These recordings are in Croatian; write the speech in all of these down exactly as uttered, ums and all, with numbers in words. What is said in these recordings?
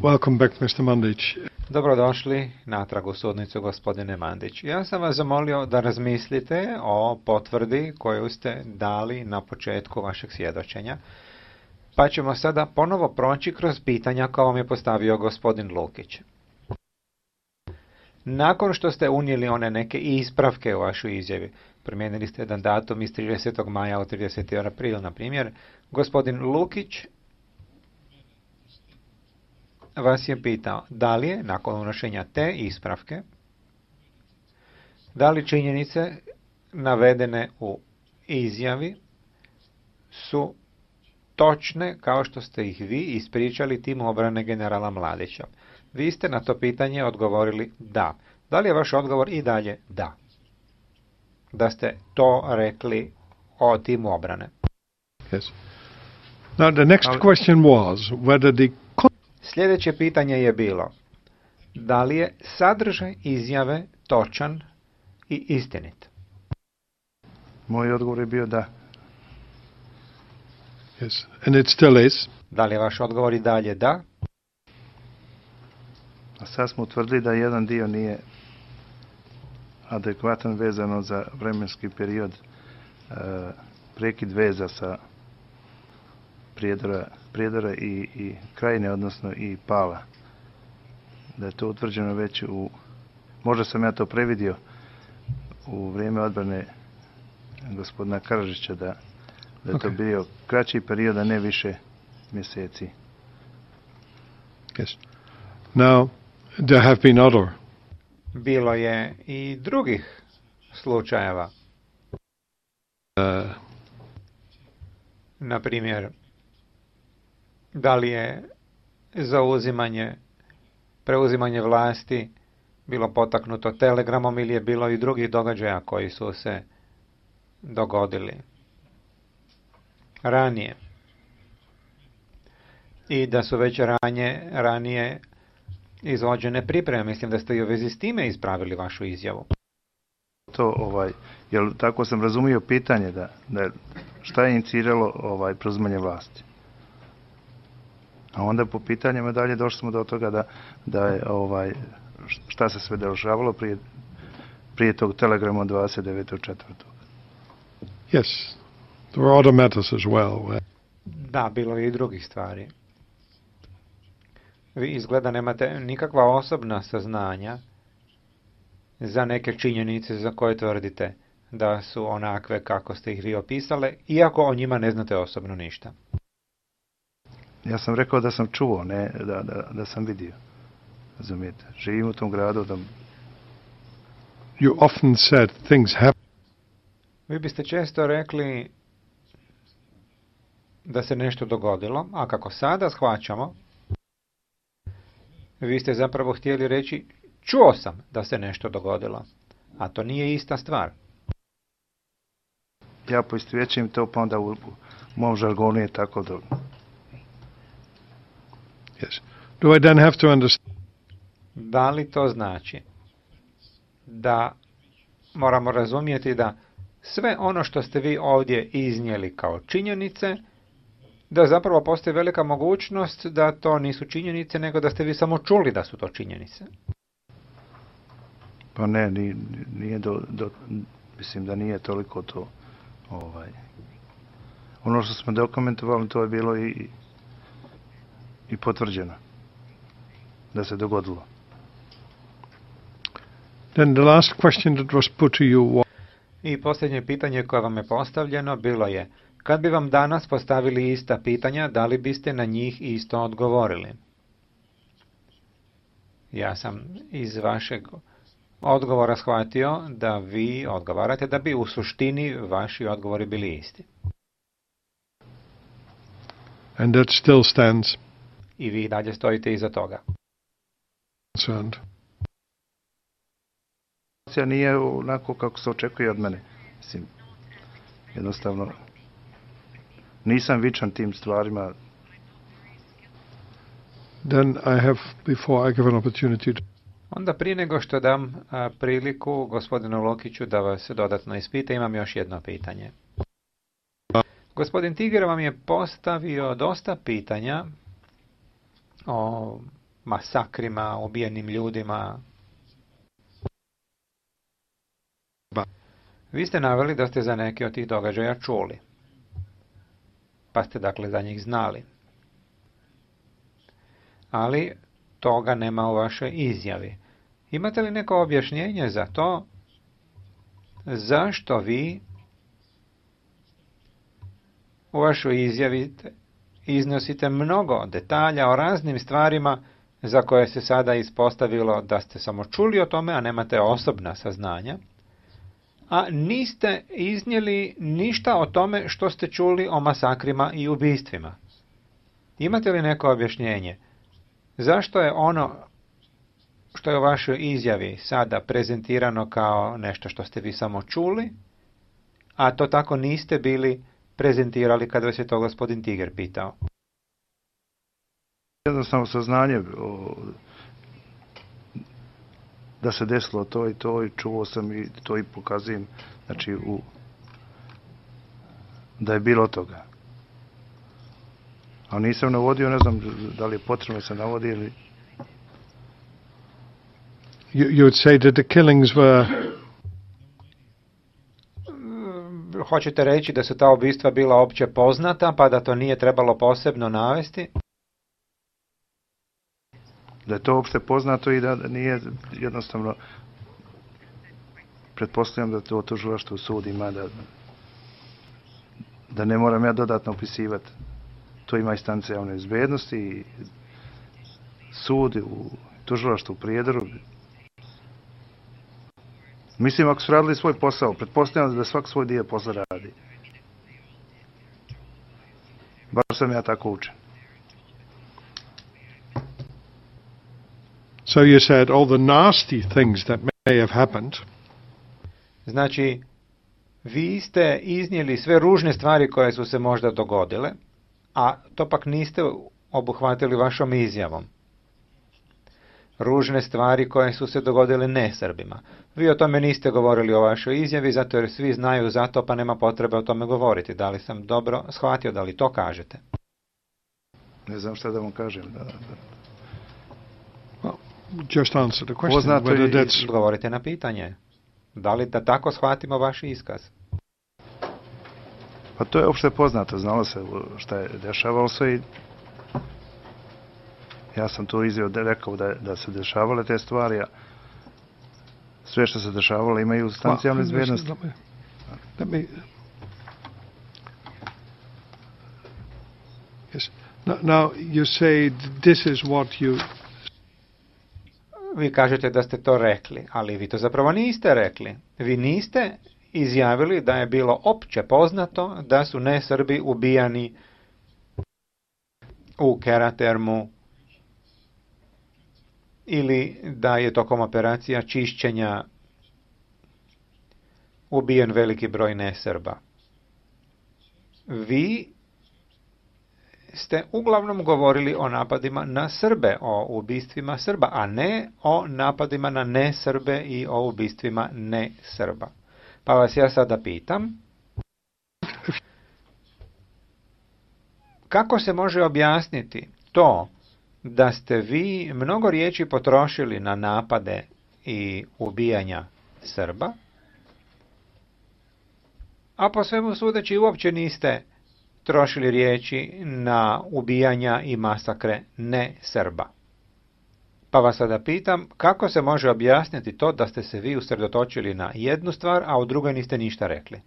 Welcome back, mister Mandić. Dobrodošli natrag u sudnicu, gospodine Mandić. Ja sam vas zamolio da razmislite o potvrdi koju ste dali na početku vašeg svjedočenja, pa ćemo sada ponovo proći kroz pitanja koja vam je postavio gospodin Lukić. Nakon što ste unijeli one neke ispravke u vašu izjavi, promijenili ste jedan datum iz tridesetog maja u trideseti april, na primjer, gospodin Lukić vas je pitao da li je, nakon unošenja te ispravke, da li činjenice navedene u izjavi su točne kao što ste ih vi ispričali timu obrane generala Mladića. Vi ste na to pitanje odgovorili da. Da li je vaš odgovor i dalje da? Da ste to rekli o timu obrane. Yes. Now the next question was whether the Sljedeće pitanje je bilo, da li je sadržaj izjave točan i istinit? Moj odgovor je bio da. Yes, and it still is. Da li je vaš odgovor i dalje da? A sad smo utvrdili da jedan dio nije adekvatan vezano za vremenski period e, prekid veza sa Prijedora, Prijedora i, i Krajine, odnosno i Pala. Da je to utvrđeno već u, možda sam ja to previdio u vrijeme odbrane gospodina Karadžića, da, da je okay. To bio kraći period, a ne više mjeseci. Yes. Now, there have been other. Bilo je i drugih slučajeva. Uh, Na primjer, da li je zauzimanje, preuzimanje vlasti bilo potaknuto telegramom ili je bilo i drugih događaja koji su se dogodili ranije. I da su već ranje, ranije izvođene pripreme. Mislim da ste i u vezi s time ispravili vašu izjavu. To, ovaj, jel tako sam razumio pitanje da, da šta je iniciralo ovaj preuzimanje vlasti. A onda po pitanjima dalje došli smo do toga da, da je ovaj šta se sve dešavalo prije, prije tog telegrama dvadeset devetog četvrtog Yes, there were other matters as well. Da, bilo je i drugih stvari. Vi izgleda nemate nikakva osobna saznanja za neke činjenice za koje tvrdite da su onakve kako ste ih vi opisale, iako o njima ne znate osobno ništa. Ja sam rekao da sam čuo, ne da, da, da sam vidio. Razumijete? Živim u tom gradu. Da... You often said things happen. Vi biste često rekli da se nešto dogodilo, a kako sada shvaćamo, vi ste zapravo htjeli reći čuo sam da se nešto dogodilo, a to nije ista stvar. Ja poistovjećujem to, pa onda u, u mom žargonu je tako da... Yes. Do I then have to understand? Da li to znači da moramo razumjeti da sve ono što ste vi ovdje iznijeli kao činjenice, da zapravo postoji velika mogućnost da to nisu činjenice, nego da ste vi samo čuli da su to činjenice? Pa ne, nije, nije do, do, mislim da nije toliko to. Ovaj. Ono što smo dokumentovali, to je bilo i, i potvrđeno da se dogodilo. Then the last question that was put to you was... I posljednje pitanje koje vam je postavljeno bilo je, kad bi vam danas postavili ista pitanja, da li biste na njih isto odgovorili? Ja sam iz vašeg odgovora shvatio da vi odgovarate da bi u suštini vaši odgovori bili isti. And that still stands. I vi dalje stojite iza toga. Concerned. Nije onako kako se očekuje od mene. Mislim, jednostavno nisam vičan tim stvarima. Then I have, before I give an opportunity to... Onda prije nego što dam a, priliku gospodinu Lokiću da vas dodatno ispita, imam još jedno pitanje. Gospodin Tiger vam je postavio dosta pitanja o masakrima, ubijenim ljudima. Vi ste naveli da ste za neke od tih događaja čuli, pa ste dakle za njih znali. Ali toga nema u vašoj izjavi. Imate li neko objašnjenje za to zašto vi u vašoj izjavi iznosite mnogo detalja o raznim stvarima za koje se sada ispostavilo da ste samo čuli o tome, a nemate osobna saznanja, a niste iznijeli ništa o tome što ste čuli o masakrima i ubistvima? Imate li neko objašnjenje? Zašto je ono što je u vašoj izjavi sada prezentirano kao nešto što ste vi samo čuli, a to tako niste bili prezentirali kada vas je to gospodin Tiger pitao? Jednostavno saznanje o, da se desilo to i to i čuo sam i to i pokazujem, znači u, da je bilo toga. A nisam navodio, ne znam da li je potrebno se navodi ili... You, you would say that the killings were... Hoćete reći da su ta ubistva bila opće poznata, pa da to nije trebalo posebno navesti? Da je to opšte poznato i da nije jednostavno, pretpostavljam da to tužilaštvo sud ima, da, da ne moram ja dodatno opisivati. To ima instance javne bezbednosti i sud u tužilaštvu u Prijedoru. Mislim, ako su radili svoj posao, pretpostavljam da svak svoj dio posla radi. Bar sam ja tako učen. So you said all the nasty things that may have happened. Znači, vi ste iznijeli sve ružne stvari koje su se možda dogodile, a to pak niste obuhvatili vašom izjavom. Ružne stvari koje su se dogodile ne Srbima. Vi o tome niste govorili u vašoj izjavi, zato jer svi znaju za to, pa nema potrebe o tome govoriti. Da li sam dobro shvatio, da li to kažete? Ne znam šta da vam kažem. Da, da. Well, just answer the question. Poznato Whether i- that's... Odgovorite na pitanje. Da li da tako shvatimo vaš iskaz? Pa to je opšte poznato, znalo se šta je dešavalo se i ja sam to izjeo da rekao da, da se dešavale te stvari, a sve što se dešavalo imaju stanice javne Well, bezbednosti. Let me, let me... Yes. Now, now you say this is what you... Vi kažete da ste to rekli, ali vi to zapravo niste rekli. Vi niste izjavili da je bilo opće poznato da su nesrbi ubijani u Keratermu ili da je tokom operacija čišćenja ubijen veliki broj nesrba. Vi ste uglavnom govorili o napadima na Srbe, o ubistvima Srba, a ne o napadima na nesrbe i o ubistvima ne Srba. Pa vas ja sada pitam, kako se može objasniti to da ste vi mnogo riječi potrošili na napade i ubijanja Srba, a po svemu sudeći uopće niste trošili riječi na ubijanja i masakre ne Srba? Pa vas sada pitam, kako se može objasniti to da ste se vi usredotočili na jednu stvar, a u drugoj niste ništa rekli?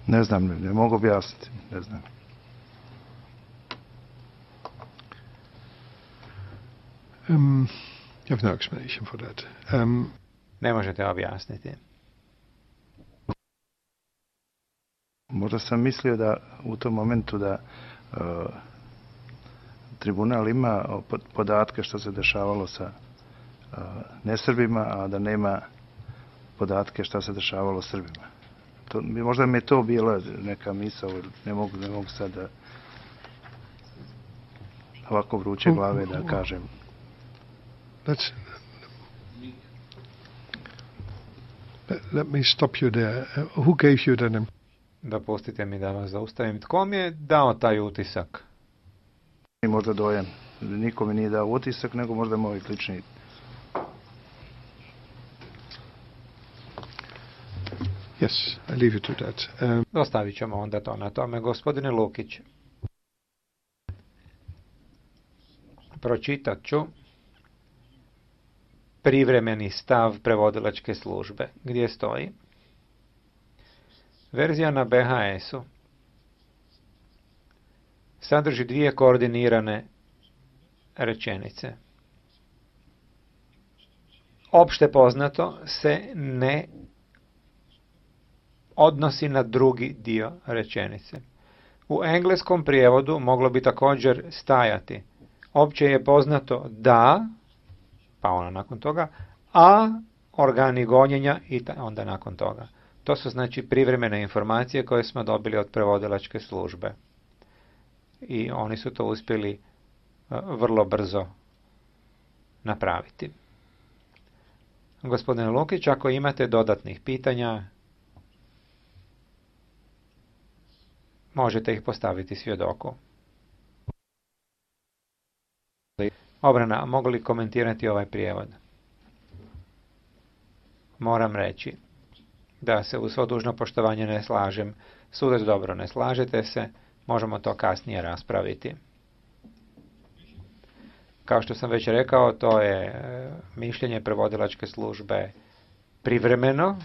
Ne znam, ne, ne mogu objasniti, ne znam. Um, you have no explanation for that. Um, Ne možete objasniti. Možda sam mislio da u tom momentu da uh, tribunal ima po- podatke što se dešavalo sa uh, nesrbima, a da nema podatke što se dešavalo Srbima. To, možda mi je to bila neka misao, jer ne mogu, ne mogu sad da ovako vruće glave da kažem. let's... Let, let me stop you there. Uh, who gave you that impression? Dopustite mi da vas zaustavim. Tko mi je dao taj utisak? možda dojam. Niko mi nije dao utisak, nego možda moj lični. Yes, I leave you to that. Um, Ostavit ćemo onda to na tome. Gospodine Lukić, pročitat ću privremeni stav prevodilačke službe, gdje stoji: verzija na be ha esu sadrži dvije koordinirane rečenice. Opšte poznato se ne odnosi na drugi dio rečenice. U engleskom prijevodu moglo bi također stajati: opće je poznato da, pa ona nakon toga, a organi gonjenja i onda nakon toga. To su znači privremene informacije koje smo dobili od prevodilačke službe. I oni su to uspjeli vrlo brzo napraviti. Gospodine Lukić, ako imate dodatnih pitanja, možete ih postaviti svjedoku. Obrana, mogu li komentirati ovaj prijevod? Moram reći da se u svo dužno poštovanje ne slažem. Sudac, dobro, ne slažete se, možemo to kasnije raspraviti. Kao što sam već rekao, to je mišljenje prevodilačke službe privremeno.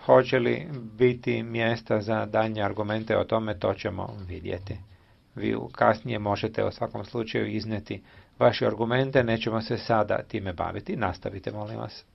Hoće li biti mjesta za daljnje argumente o tome, to ćemo vidjeti. Vi kasnije možete u svakom slučaju iznijeti vaše argumente, nećemo se sada time baviti. Nastavite, molim vas.